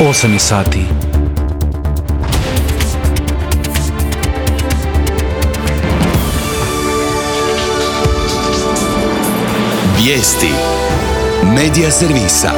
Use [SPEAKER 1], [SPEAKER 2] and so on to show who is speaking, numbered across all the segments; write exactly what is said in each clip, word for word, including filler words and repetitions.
[SPEAKER 1] osam sati.
[SPEAKER 2] Vijesti Medija servisa.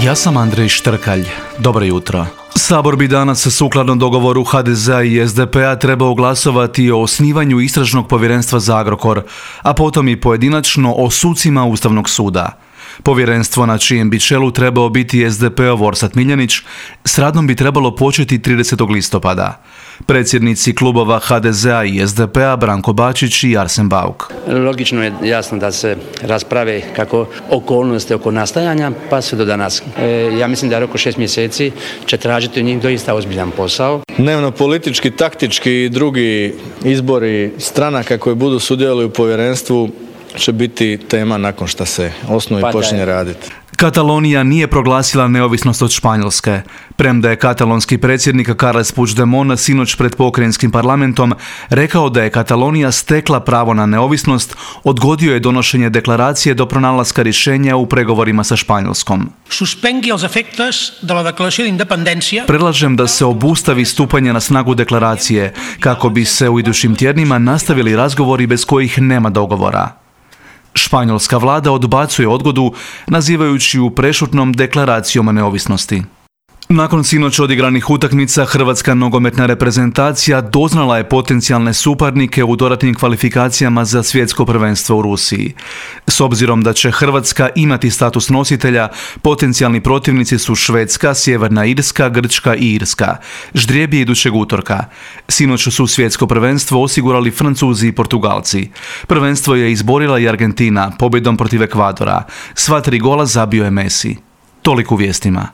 [SPEAKER 1] Ja sam Andrej Štrkalj. Dobro jutro. Sabor bi danas sukladno dogovoru ha de zea i es de pe-a trebao glasovati o osnivanju istražnog povjerenstva za Agrokor, a potom i pojedinačno o sucima Ustavnog suda. Povjerenstvo na čijem bi čelu trebao biti es de pe-ov Orsat Miljenić s radom bi trebalo početi tridesetog listopada. Predsjednici klubova ha de zea i es de pe-a Branko Bačić i Arsen Bauk.
[SPEAKER 3] Logično je jasno da se rasprave kako okolnosti oko nastajanja pa sve do danas. E, ja mislim da oko šest mjeseci će tražiti u njih doista ozbiljan posao.
[SPEAKER 4] Dnevno politički, taktički i drugi izbori stranaka koji budu sudjelovali u povjerenstvu će biti tema nakon što se osnuje i počinje raditi.
[SPEAKER 1] Katalonija nije proglasila neovisnost od Španjolske. Premda je katalonski predsjednik Carles Puigdemont sinoć pred pokrajinskim parlamentom rekao da je Katalonija stekla pravo na neovisnost, odgodio je donošenje deklaracije do pronalaska rješenja u pregovorima sa Španjolskom.
[SPEAKER 5] Suspengui els efectes de la declaració d'independència.
[SPEAKER 1] Predlažem da se obustavi stupanje na snagu deklaracije, kako bi se u idućim tjednima nastavili razgovori bez kojih nema dogovora. Španjolska vlada odbacuje odgodu, nazivajući ju prešutnom deklaracijom o neovisnosti. Nakon sinoć odigranih utakmica, hrvatska nogometna reprezentacija doznala je potencijalne suparnike u dodatnim kvalifikacijama za svjetsko prvenstvo u Rusiji. S obzirom da će Hrvatska imati status nositelja, potencijalni protivnici su Švedska, Sjeverna Irska, Grčka i Irska. Ždrijeb je idućeg utorka. Sinoć su svjetsko prvenstvo osigurali Francuzi i Portugalci. Prvenstvo je izborila i Argentina pobjedom protiv Ekvadora. Sva tri gola zabio je Messi. Toliko u vijestima.